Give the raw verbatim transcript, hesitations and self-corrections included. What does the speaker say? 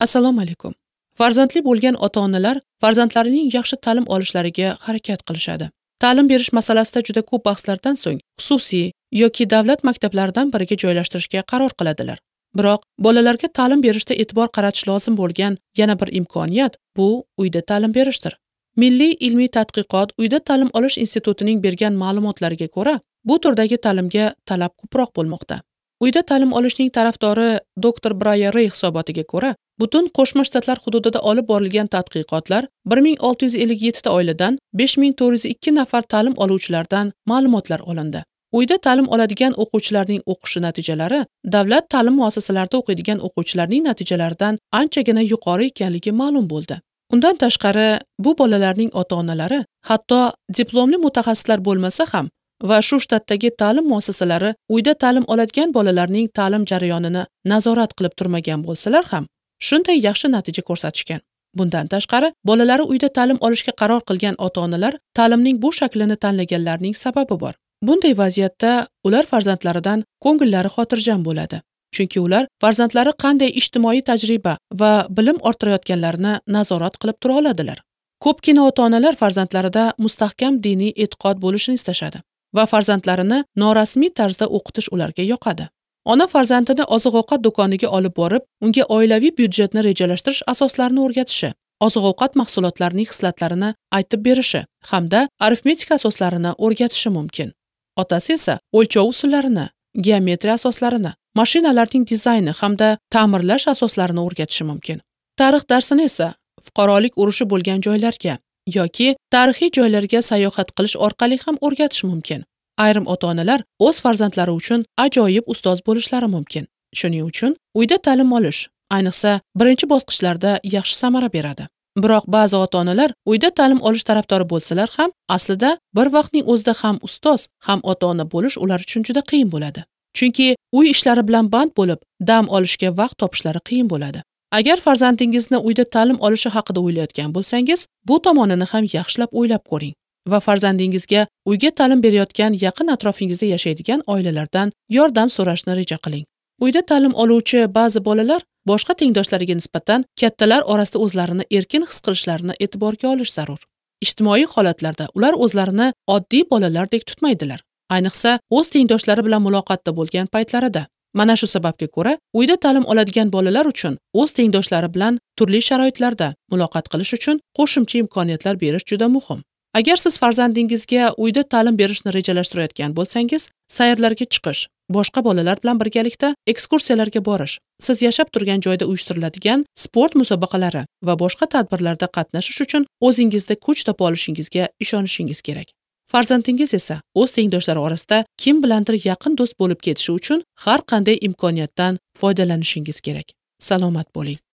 Assalomu alaykum. Farzandli bo'lgan ota-onalar farzandlarining yaxshi ta'lim olishlariga harakat qilishadi. Ta'lim berish masalasida juda ko'p bahslardan so'ng xususiy yoki davlat maktablaridan biriga joylashtirishga qaror qiladilar. Biroq bolalarga ta'lim berishda e'tibor qaratish lozim bo'lgan yana bir imkoniyat bu uyda ta'lim berishdir. Milliy ilmiy tadqiqot uyda ta'lim olish institutining bergan ma'lumotlariga ko'ra, bu turdagi ta'limga talab ko'proq bo'lmoqda. Uyda ta'lim olishning tarafdori doktor Braya Rey hisobotiga ko'ra, butun Qo'shma Shtatlar hududida olib borilgan tadqiqotlar bir ming olti yuz ellik yetti ta oiladan besh ming to'rt yuz ikki nafar ta'lim oluvchilardan ma'lumotlar olindi. Uyda ta'lim oladigan o'quvchilarning o'qishi natijalari davlat ta'lim muassasalarida o'qiydigan o'quvchilarning natijalaridan anchagina yuqori ekanligi ma'lum bo'ldi. Undan tashqari, bu bolalarning ota-onalari hatto diplomli mutaxassislar bo'lmasa ham va shu shtatdagi ta'lim muassasalari uyda ta'lim oladigan bolalarning ta'lim jarayonini nazorat qilib turmagan bo'lsalar ham shunday yaxshi natija ko'rsatishgan. Bundan tashqari, bolalari uyda ta'lim olishga qaror qilgan ota-onalar ta'limning bu shaklini tanlaganlarning sababi bor. Bunday vaziyatda ular farzandlaridan ko'ngillari xotirjam bo'ladi. Chunki ular farzandlari qanday ijtimoiy tajriba va bilim orttirayotganlarini nazorat qilib tura oladilar. Ko'pgina ota-onalar farzandlarida mustahkam diniy e'tiqod bo'lishini istashadi va farzandlarini norasmiy tarzda o'qitish ularga yoqadi. Ona farzandini oziq-ovqat do'koniga olib borib, unga oilaviy byudjetni rejalashtirish asoslarini o'rgatishi, oziq-ovqat mahsulotlarining xislatlarini aytib berishi hamda arifmetika asoslarini o'rgatishi mumkin. Otasi esa o'lchov usullarini, geometriya asoslarini, mashinalarning dizayni hamda ta'mirlash asoslarini o'rgatishi mumkin. Tarix darsini esa fuqarolik urushi bo'lgan joylarga yoki tarixiy joylarga sayohat qilish orqali ham o'rgatish mumkin. Ayrim ota-onalar o'z farzandlari uchun ajoyib ustoz bo'lishlari mumkin. Shuning uchun uyda ta'lim olish, ayniqsa birinchi bosqichlarda yaxshi samara beradi. Biroq ba'zi ota-onalar uyda ta'lim olish tarafdori bo'lsalar ham, aslida bir vaqtning o'zida ham ustoz, ham ota-ona bo'lish ular uchun juda qiyin bo'ladi. Chunki uy ishlari bilan band bo'lib, dam olishga vaqt topishlari qiyin bo'ladi. Agar farzandingizni uyda ta'lim olishi haqida o'ylayotgan bo'lsangiz, bu tomonini ham yaxshilab o'ylab ko'ring va farzandingizga uyga ta'lim berayotgan yaqin atrofingizda yashaydigan oilalardan yordam so'rashni reja qiling. Uyda ta'lim oluvchi ba'zi bolalar boshqa tengdoshlariga nisbatan kattalar orasida o'zlarini erkin his qilishlarini e'tiborga olish zarur. Ijtimoiy holatlarda ular o'zlarini oddiy bolalardek tutmaydilar. Ayniqsa, o'z tengdoshlari bilan muloqotda bo'lgan paytlarida. Mana shu sababga ko'ra, uyda ta'lim oladigan bolalar uchun o'z tengdoshlari bilan turli sharoitlarda muloqot qilish uchun qo'shimcha imkoniyatlar berish juda muhim. Agar siz farzandingizga uyda ta'lim berishni rejalashtirayotgan bo'lsangiz, sayrlarga chiqish, boshqa bolalar bilan birgalikda ekskursiyalarga borish, siz yashab turgan joyda uyushtiriladigan sport musobaqalari va boshqa tadbirlarda qatnashish uchun o'zingizda kuch topa olishingizga ishonishingiz kerak. Farzandingiz esa o'z tengdoshlari orasida kim bilandir yaqin do'st bo'lib ketishi uchun har qanday imkoniyatdan foydalanishingiz kerak. Salomat bo'ling.